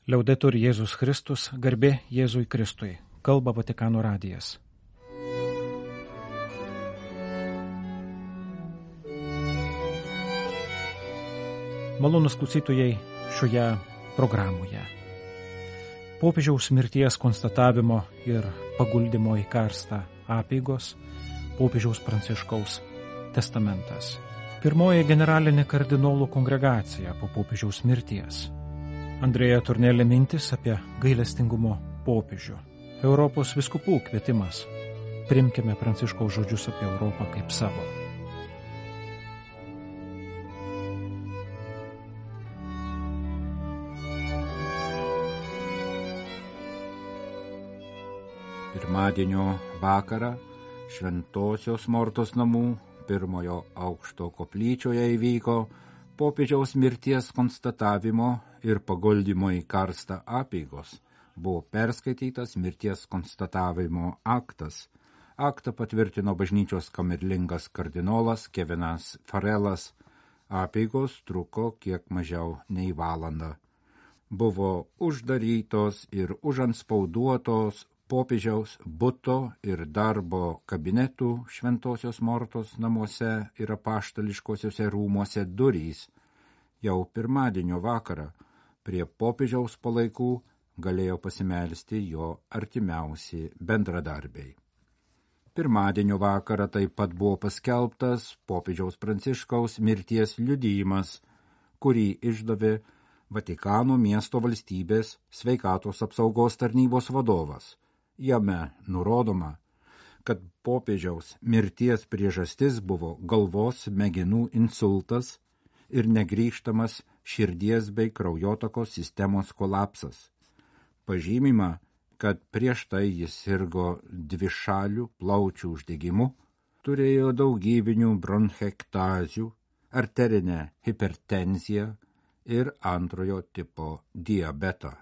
Liaudetur Jėzus Kristus, garbė Jėzui Kristui, kalba Vatikano radijas. Malonūs klausytojai šioje programoje. Popiežiaus mirties konstatavimo ir paguldimo į karstą apeigos, popiežiaus Pranciškaus testamentas. Pirmoji generalinė kardinolų kongregacija po popiežiaus mirties. Andrėja Turnelė mintis apie gailestingumo popiežių. Europos vyskupų kvietimas. Priimkime Pranciškaus žodžius apie Europą kaip savo. Pirmadienio vakarą Šventosios Mortos namų pirmojo aukšto koplyčioje įvyko popiežiaus mirties konstatavimo ir paguldymo į karstą apeigos. Buvo perskaitytas mirties konstatavimo aktas. Aktą patvirtino bažnyčios kamerlingas kardinolas Kevinas Farelas. Apeigos truko kiek mažiau nei valandą. Buvo uždarytos ir užantspauduotos popiežiaus buto ir darbo kabinetų Šventosios Mortos namuose ir apaštališkosiuose rūmuose durys. Jau pirmadienio vakarą prie popiežiaus palaikų galėjo pasimelsti jo artimiausi bendradarbiai. Pirmadienio vakarą taip pat buvo paskelbtas popiežiaus Pranciškaus mirties liudijimas, kurį išdavė Vatikano miesto valstybės sveikatos apsaugos tarnybos vadovas. Jame nurodoma, kad popiežiaus mirties priežastis buvo galvos smegenų insultas ir negrįžtamas širdies bei kraujotakos sistemos kolapsas. Pažymima, kad prieš tai jis sirgo dvišalių plaučių uždegimu, turėjo daugybinių bronchektazių, arterinę hipertenziją ir antrojo tipo diabetą.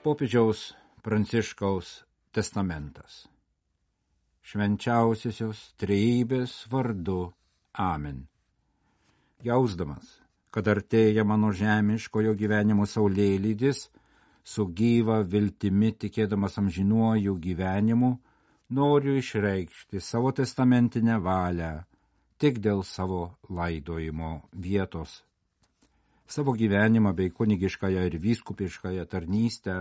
Popiežiaus Pranciškaus testamentas. Švenčiausiosios trejybės vardu. Amen. Jausdamas, kad artėja mano žemiškojo gyvenimo saulėlydis, su gyva viltimi tikėdamas amžinuoju gyvenimu, noriu išreikšti savo testamentinę valią tik dėl savo laidojimo vietos. Savo gyvenimą bei kunigiškąją ir vyskupiškąją tarnystę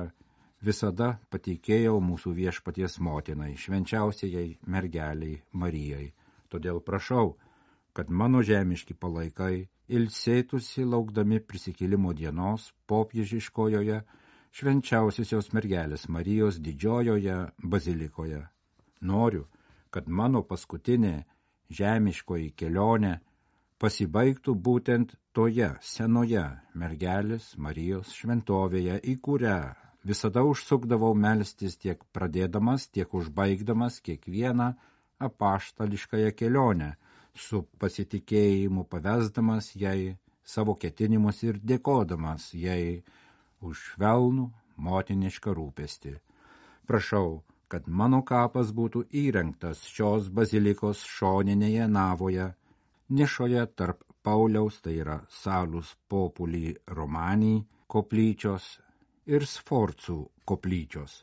visada patikėjau mūsų viešpaties motinai, švenčiausiai mergeliai Marijai. Todėl prašau, kad mano žemiški palaikai ilsėtųsi laukdami prisikėlimo dienos popiežiškojoje švenčiausiosios mergelės Marijos didžiojoje bazilikoje. Noriu, kad mano paskutinė žemiškoji kelionė pasibaigtų būtent toje senoje mergelės Marijos šventovėje, į kurią visada užsukdavau melstis tiek pradėdamas, tiek užbaigdamas kiekvieną apaštališkąją kelionę, su pasitikėjimu pavesdamas jai savo ketinimus ir dėkodamas jai už švelnų motinišką rūpestį. Prašau, kad mano kapas būtų įrengtas šios bazilikos šoninėje navoje, nišoje tarp Pauliaus, tai yra Salus Populi Romani koplyčios ir Sforcų koplyčios.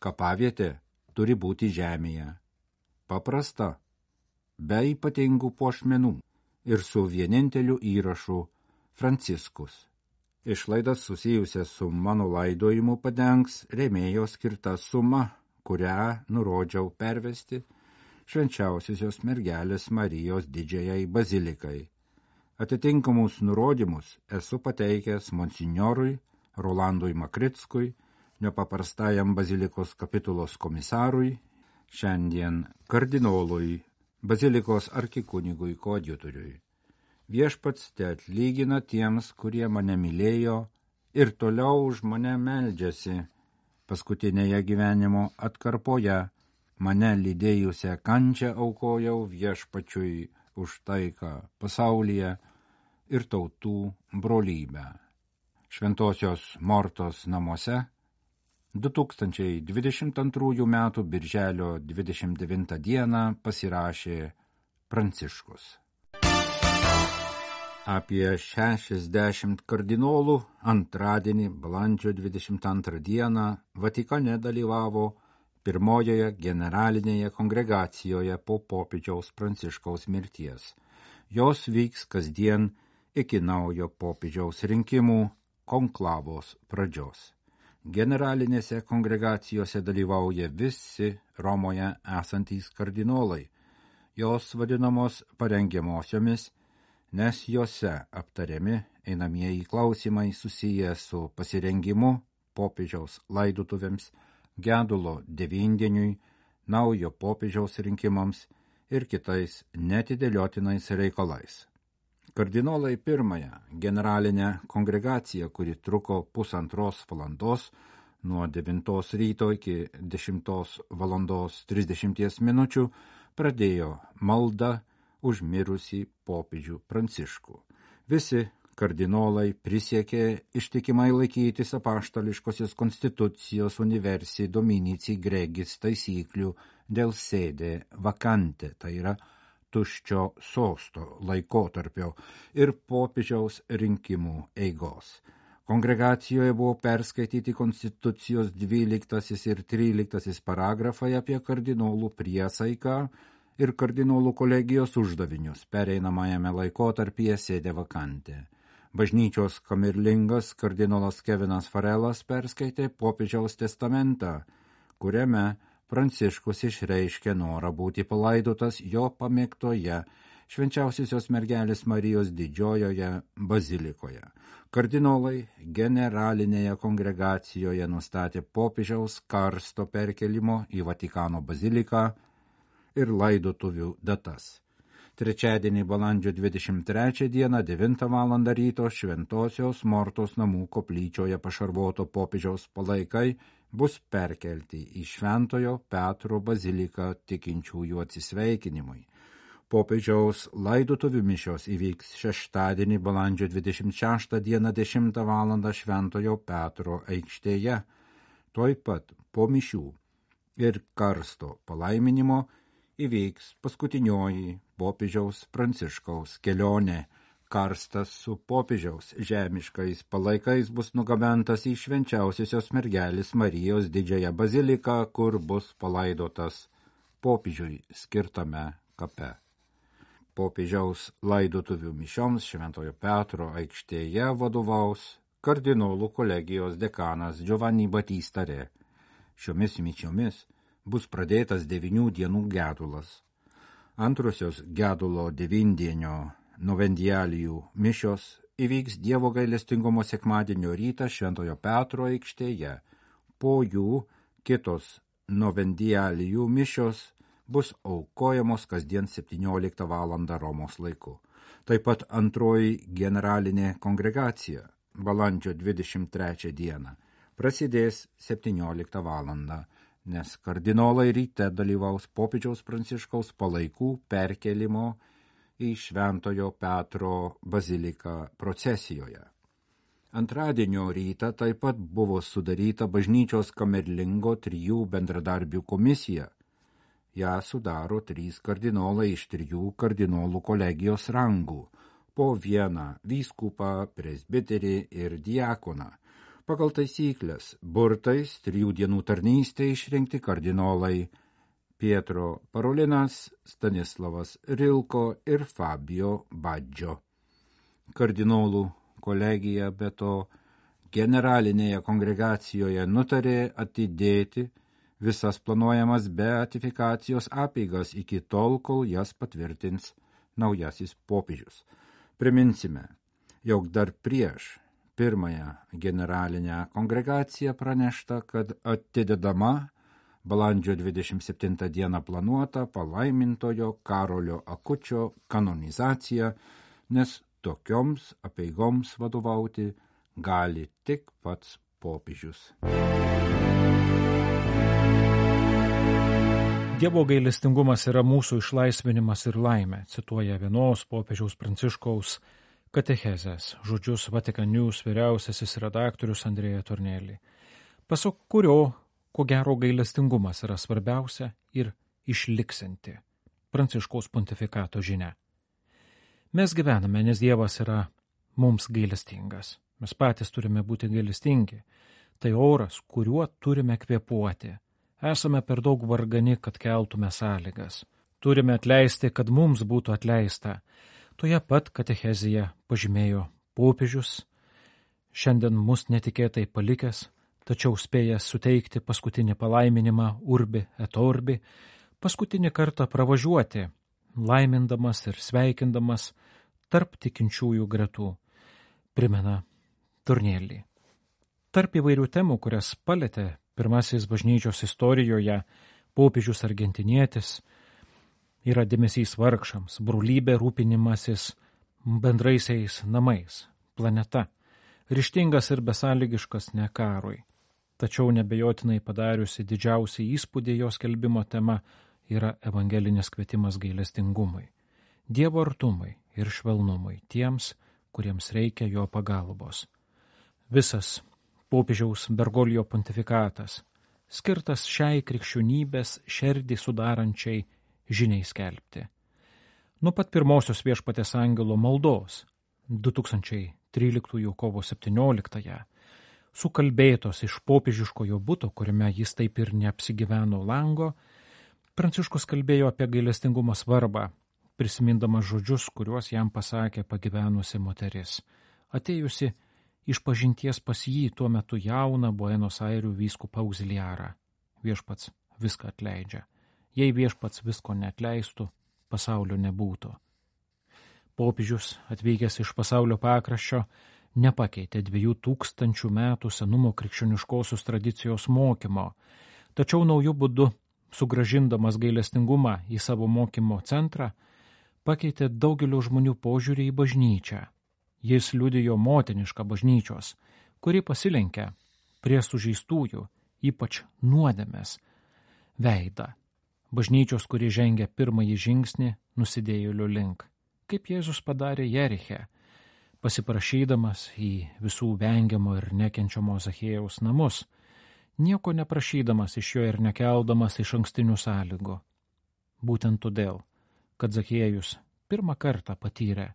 Kapavietė turi būti žemėje, paprasta, be ypatingų puošmenų ir su vieninteliu įrašu Franciskus. Išlaidas susijusias su mano laidojimu padengs rėmėjo skirta suma, kurią nurodžiau pervesti švenčiausiosios mergelės Marijos didžiajai bazilikai. Atitinkamus nurodymus esu pateikęs monsinjorui Rolandui Makrickui, nepaprastajam bazilikos kapitulos komisarui, šiandien kardinolui, bazilikos arkikunigui koadjutoriui. Viešpats te atlygina tiems, kurie mane mylėjo ir toliau už mane meldžiasi. Paskutinėje gyvenimo atkarpoje mane lydėjusią kančią aukojau viešpačiui už taiką pasaulyje ir tautų brolybę. Šventosios Mortos namuose 2022 m. birželio 29 d. pasirašė Pranciškus. Apie 60 kardinolų antradienį, balandžio 22 dieną, Vatikane dalyvavo pirmojoje generalinėje kongregacijoje po popiežiaus Pranciškaus mirties. Jos vyks kasdien iki naujo popiežiaus rinkimų konklavos pradžios. Generalinėse kongregacijose dalyvauja visi Romoje esantys kardinolai. Jos vadinamos parengiamosiomis, nes jose aptariami einamieji klausimai susiję su pasirengimu popiežiaus laidotuvėms, gedulo devyndieniui, naujo popiežiaus rinkimams ir kitais netidėliotinais reikalais. Kardinolai pirmąją generalinę kongregaciją, kuri truko 1,5 valandos, nuo 9 ryto iki 10:30 minučių, pradėjo maldą už mirusį popiežių Pranciškų. Visi kardinolai prisiekė ištikimai laikytis apaštališkosios konstitucijos Universi Dominici Gregis taisyklių dėl sede vacante, tai yra tuščio sosto laikotarpio ir popiežiaus rinkimų eigos. Kongregacijoje buvo perskaityti konstitucijos 12 ir 13 paragrafai apie kardinolų priesaiką ir kardinolų kolegijos uždavinius pereinamajame laikotarpyje sede vakante. Bažnyčios kamerlingas kardinolas Kevinas Farelas perskaitė popiežiaus testamentą, kuriame Pranciškus išreiškė norą būti palaidotas jo pamėgtoje Švenčiausiosios mergelės Marijos didžiojoje bazilikoje. Kardinolai generalinėje kongregacijoje nustatė popiežiaus karsto perkelimo į Vatikano baziliką ir laidotuvių datas. Trečiadienį balandžio 23 dieną 9 val. Ryto Šventosios Mortos namų koplyčioje pašarvoto popiežiaus palaikai bus perkelti į Šventojo Petro baziliką tikinčiųjų atsisveikinimui. Popiežiaus laidotuvių mišios įvyks šeštadienį balandžio 26 dieną 10 val. Šventojo Petro aikštėje. Tuoj pat po mišių ir karsto palaiminimo įvyks paskutinioji popiežiaus Pranciškaus kelionė. Karstas su popiežiaus žemiškais palaikais bus nugabentas į Švenčiausiosios mergelės Marijos didžiąją baziliką, kur bus palaidotas popiežiui skirtame kape. Popiežiaus laidotuvių mišioms Šventojo Petro aikštėje vadovaus kardinolų kolegijos dekanas Giovanni Battista Re. Šiomis mišiomis bus pradėtas 9 dienų gedulas. Antrosios gedulo 9-dienio novendialijų mišios įvyks Dievo gailestingumo sekmadienio rytą Šventojo Petro aikštėje. Po jų kitos novendialijų mišios bus aukojamos kasdien 17 val. Romos laiku. Taip pat antroji generalinė kongregacija balandžio 23 dieną prasidės 17 val., nes kardinolai ryte dalyvaus popiežiaus Pranciškaus palaikų perkelimo į Šventojo Petro baziliką procesijoje. Antradienio rytą taip pat buvo sudaryta bažnyčios kamerlingo 3 bendradarbių komisija. Ja sudaro 3 kardinolai iš 3 kardinolų kolegijos rangų, po 1 vyskupą, presbiterį ir diakoną. Pagal taisyklės burtais 3 dienų tarnystė išrinkti kardinolai Pietro Parolinas, Stanislavas Rilko ir Fabio Baggio. Kardinolų kolegija be to generalinėje kongregacijoje nutarė atidėti visas planuojamas beatifikacijos apeigas iki tol, kol jas patvirtins naujasis popiežius. Priminsime, jog dar prieš pirmąją generalinę kongregaciją pranešta, kad atidedama balandžio 27 dieną planuota palaimintojo Karolio Akučio kanonizacija, nes tokioms apeigoms vadovauti gali tik pats popiežius. Dievo gailestingumas yra mūsų išlaisvinimas ir laimė, cituoja vienos popiežiaus Pranciškaus katechezės žodžius Vatican News vyriausiasis redaktorius Andrea Tornelli, pasak kurio, ko gero, gailestingumas yra svarbiausia ir išliksinti Pranciškaus pontifikato žinia. Mes gyvename, nes Dievas yra mums gailestingas. Mes patys turime būti gailestingi. Tai oras, kuriuo turime kvėpuoti. Esame per daug vargani, kad keltume sąlygas. Turime atleisti, kad mums būtų atleista. Toje pat katechezėje pažymėjo popiežius, šiandien mus netikėtai palikęs, tačiau spėjęs suteikti paskutinį palaiminimą urbi et orbi, paskutinį kartą pravažiuoti, laimindamas ir sveikindamas tarp tikinčiųjų gretų, primena Tornielli. Tarp įvairių temų, kurias palėtė pirmasis bažnyčios istorijoje popiežius argentinietis, yra dėmesys vargšams, brolybė, rūpinimasis bendraisiais namais, planeta, ryžtingas ir besąlygiškas ne karui. Tačiau nebejotinai padariusi didžiausią įspūdį jos skelbimo tema yra evangelinis kvietimas gailestingumui, Dievo artumui ir švelnumui tiems, kuriems reikia jo pagalbos. Visas popiežiaus Bergoglio pontifikatas skirtas šiai krikščionybės šerdį sudarančiai žiniai skelbti. Nuo pat pirmosios viešpaties angelo maldos 2013 kovo 17 sukalbėtos iš popiežiškojo buto, kuriame jis taip ir neapsigyveno lango, Pranciškus kalbėjo apie gailestingumo svarbą, prisimindamas žodžius, kuriuos jam pasakė pagyvenusi moteris, atėjusi iš pažinties pas jį tuo metu jauną Buenos Airių vyskupą auziliarą. Viešpats viską atleidžia. Jei viešpats visko neatleistų, pasaulio nebūtų. Popiežius, atvykęs iš pasaulio pakraščio, nepakeitė 2000 metų senumo krikščioniškosios tradicijos mokymo, tačiau naujų būdų, sugrąžindamas gailestingumą į savo mokymo centrą, pakeitė daugelio žmonių požiūrį į bažnyčią. Jis liudijo motinišką bažnyčios, kuri pasilenkia prie sužeistųjų, ypač nuodėmės, veidą. Bažnyčios, kuri žengia pirmąjį žingsnį nusidėjėlių link, kaip Jėzus padarė Jeriche, pasiprašydamas į visų vengiamo ir nekenčiamo Zachiejaus namus, nieko neprašydamas iš jo ir nekeldamas iš ankstinių sąlygų. Būtent todėl, kad Zachiejus pirmą kartą patyrė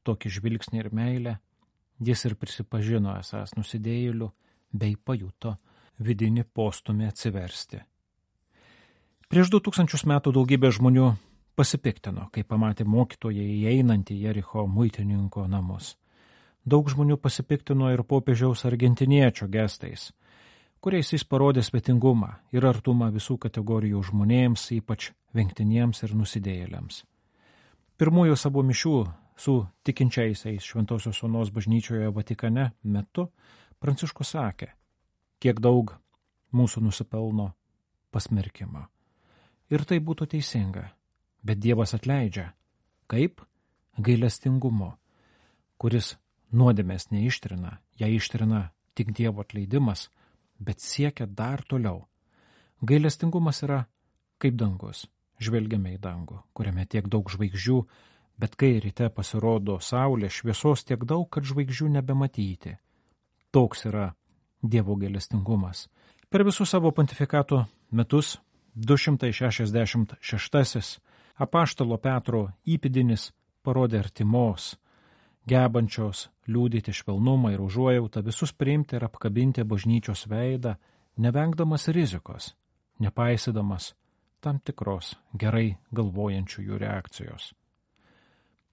tokį žvilgsnį ir meilę, jis ir prisipažino esąs nusidėjėliu bei pajuto vidinį postumį atsiversti. Prieš 2000 metų daugybė žmonių pasipiktino, kai pamatė mokytoją įeinantį Jericho muitininko namus. Daug žmonių pasipiktino ir popiežiaus argentiniečio gestais, kuriais jis parodė svetingumą ir artumą visų kategorijų žmonėms, ypač vengtiniems ir nusidėjėliams. Pirmųjų savo mišių su tikinčiaisiais Šventosios Onos bažnyčioje Vatikane metu Pranciškus sakė, kiek daug mūsų nusipelno pasmerkimo. Ir tai būtų teisinga, bet Dievas atleidžia. Kaip? Gailestingumu, kuris nuodėmės neištrina, ją ištrina tik Dievo atleidimas, bet siekia dar toliau. Gailestingumas yra kaip dangus. Žvelgiame į dangų, kuriame tiek daug žvaigždžių, bet kai ryte pasirodo saulė, šviesos tiek daug, kad žvaigždžių nebematyti. Toks yra Dievo gailestingumas. Per visus savo pontifikato metus 266 apaštalo Petro įpėdinis parodė artimos, gebančios liudyti švelnumą ir užuojautą, visus priimti ir apkabinti bažnyčios veidą, nevengdamas rizikos, nepaisydamas tam tikros gerai galvojančiųjų reakcijos.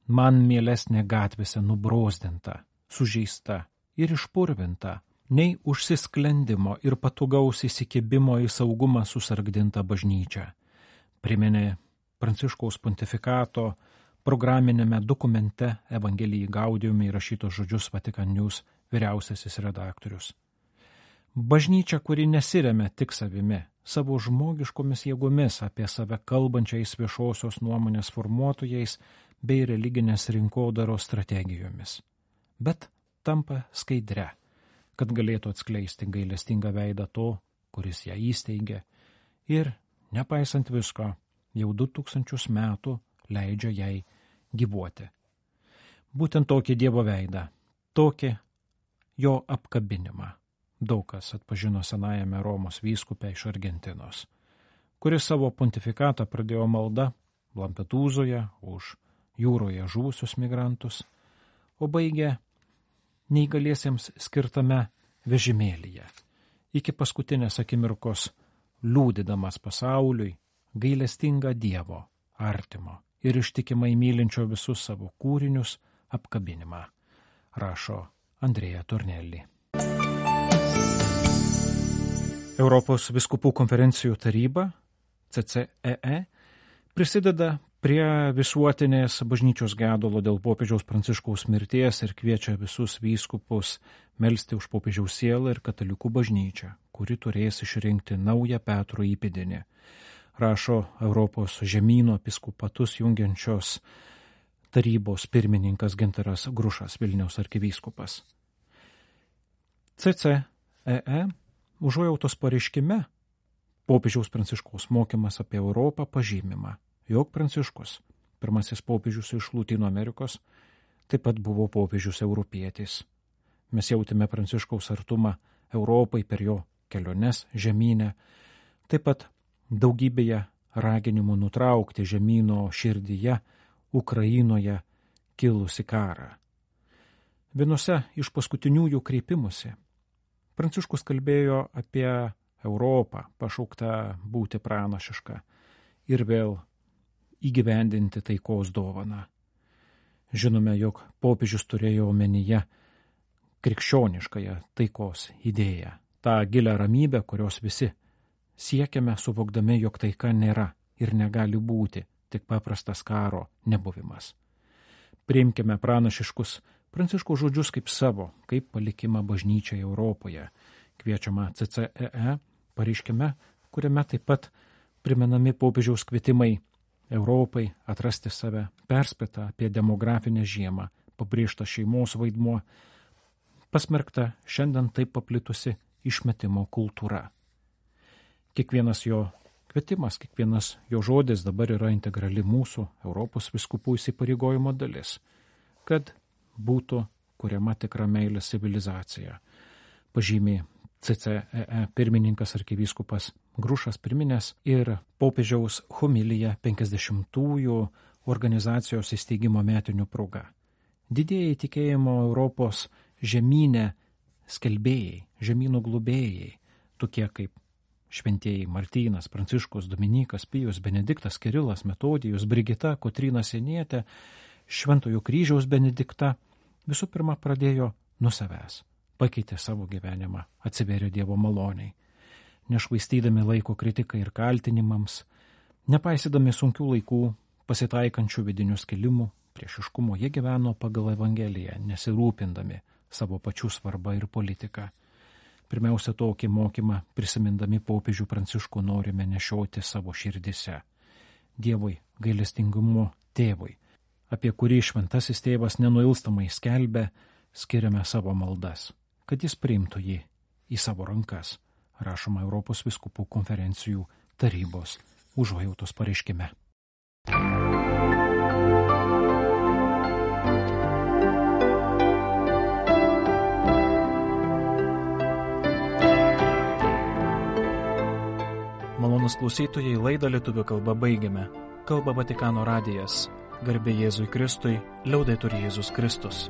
Man mielesnė gatvėse nubrozdinta, sužeista ir išpurvinta, nei užsisklendimo ir patogaus įsikibimo į saugumą susargdinta bažnyčia, priminė Pranciškaus pontifikato programinėme dokumente Evangelijai Gaudium įrašytos žodžius Vatican News vyriausiasis redaktorius. Bažnyčia, kuri nesiremia tik savimi, savo žmogiškomis jėgomis apie save kalbančiais viešosios nuomonės formuotojais bei religinės rinkodaros strategijomis, bet tampa skaidre, kad galėtų atskleisti gailestingą veidą to, kuris ją įsteigė ir, nepaisant visko, jau 2000 metų leidžia jai gyvuoti. Būtent tokį Dievo veidą, tokį jo apkabinimą daug kas atpažino senajame Romos vyskupe iš Argentinos, kuris savo pontifikatą pradėjo malda Lampedūzoje už jūroje žuvusius migrantus, o baigė neįgaliesiems skirtame vežimėlyje, iki paskutinės akimirkos liūdydamas pasauliui gailestingą Dievo, artimo ir ištikimai mylinčio visus savo kūrinius apkabinimą, rašo Andrea Tornelli. Europos vyskupų konferencijų taryba, CCEE, prisideda prie visuotinės bažnyčios gedulo dėl popiežiaus Pranciškaus mirties ir kviečia visus vyskupus melsti už popiežiaus sielą ir katalikų bažnyčią, kuri turės išrinkti naują Petro įpėdinį, rašo Europos žemyno episkopatus jungiančios tarybos pirmininkas Gintaras Grušas, Vilniaus arkivyskupas. CCEE užuojautos pareiškime popiežiaus Pranciškaus mokymas apie Europą pažymima, jog Pranciškus, pirmasis popiežius iš Lotynų Amerikos, taip pat buvo popiežius europietis. Mes jautėme Pranciškaus artumą Europai per jo keliones žemyne, taip pat daugybėje raginimų nutraukti žemyno širdyje Ukrainoje kilusi karą. Vienose iš paskutiniųjų kreipimusi Pranciškus kalbėjo apie Europą, pašauktą būti pranašišką ir vėl įgyvendinti taikos dovaną. Žinome, jog popiežius turėjo omenyje krikščioniškąją taikos idėją, tą gilią ramybę, kurios visi siekiame, suvokdami, jog taika nėra ir negali būti tik paprastas karo nebuvimas. Priimkime pranašiškus Pranciškaus žodžius kaip savo, kaip palikimą bažnyčiai Europoje, kviečiama CCEE pareiškime, kuriame taip pat primenami popiežiaus kvietimai Europai atrasti save, perspėta apie demografinę žiemą, pabrėžta šeimos vaidmuo, pasmerkta šiandien taip paplitusi išmetimo kultūra. Kiekvienas jo kvietimas, kiekvienas jo žodis dabar yra integrali mūsų Europos vyskupų įsipareigojimo dalis, kad būtų kuriama tikra meilės civilizacija, pažymė CCEE pirmininkas arkivyskupas Grušas priminęs ir popiežiaus homiliją 50-ųjų organizacijos įsteigimo metinių proga. Didieji tikėjimo Europos žemyne skelbėjai, žemynų globėjai, tokie kaip šventieji Martynas, Pranciškus, Dominykas, Pijus, Benediktas, Kirilas, Metodijus, Brigita, Kotryna Sienietė, Šventojo kryžiaus Benedikta, visų pirma pradėjo nuo savęs, pakeitė savo gyvenimą, atsivėrė Dievo maloniai, nešvaistydami laiko kritikai ir kaltinimams, nepaisydami sunkių laikų, pasitaikančių vidinių skilimų, priešiškumo, jie gyveno pagal Evangeliją, nesirūpindami savo pačių svarbą ir politiką. Pirmiausia, tokį mokymą, prisimindami popiežių Pranciškų, norime nešioti savo širdise. Dievui, gailestingumo tėvui, apie kurį šventasis tėvas nenuilstamai skelbė, skiriame savo maldas, kad jis priimtų jį į savo rankas, rašoma Europos vyskupų konferencijų tarybos užuojautos pareiškime. Malonūs klausytojai, laidą lietuvių kalba baigiame. Kalba Vatikano radijas. Garbė Jėzui Kristui, liaudetur Jėzus Kristus.